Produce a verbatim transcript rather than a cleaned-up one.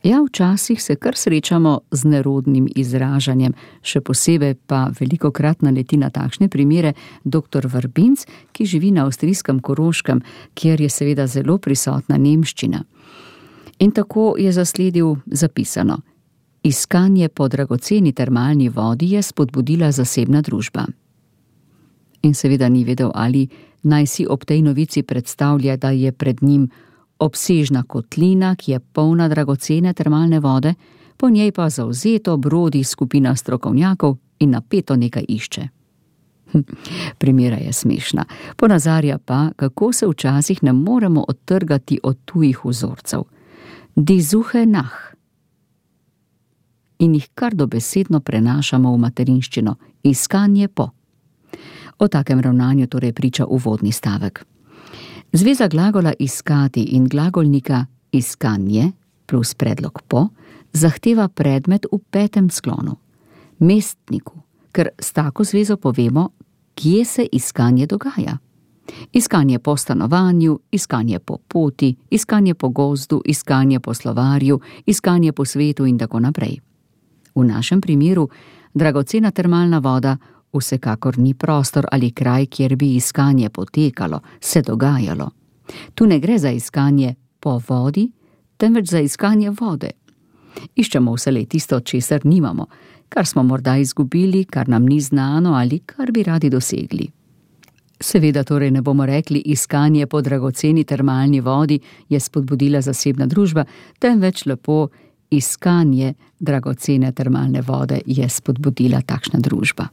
Ja, včasih se kar srečamo z nerodnim izražanjem, še posebej pa velikokrat naleti na takšne primere doktor Vrbinc, ki živi na avstrijskem Koroškem, kjer je seveda zelo prisotna nemščina. In tako je zasledil zapisano: iskanje po dragoceni termalni vodi je spodbudila zasebna družba. In seveda ni vedel, ali naj si ob tej novici predstavlja, da je pred njim obsežna kotlina, ki je polna dragocene termalne vode, po njej pa zavzeto brodi skupina strokovnjakov in napeto nekaj išče. Hm, primera je smešna, ponazarja pa, kako se včasih ne moremo odtrgati od tujih vzorcev. Die Suche nach. In jih kar dobesedno prenašamo v materinščino, iskanje po. O takem ravnanju torej priča uvodni stavek. Zveza glagola iskati in glagolnika iskanje plus predlog po zahteva predmet v petem sklonu, mestniku, ker s tako zvezo povemo, kje se iskanje dogaja. Iskanje po stanovanju, iskanje po poti, iskanje po gozdu, iskanje po slovarju, iskanje po svetu in tako naprej. V našem primeru dragocena termalna voda vsekakor ni prostor ali kraj, kjer bi iskanje potekalo, se dogajalo. Tu ne gre za iskanje po vodi, temveč za iskanje vode. Iščemo vselej tisto, česar nimamo, kar smo morda izgubili, kar nam ni znano ali kar bi radi dosegli. Seveda torej ne bomo rekli, iskanje po dragoceni termalni vodi je spodbudila zasebna družba, temveč lepo iskanje dragocene termalne vode je spodbudila takšna družba.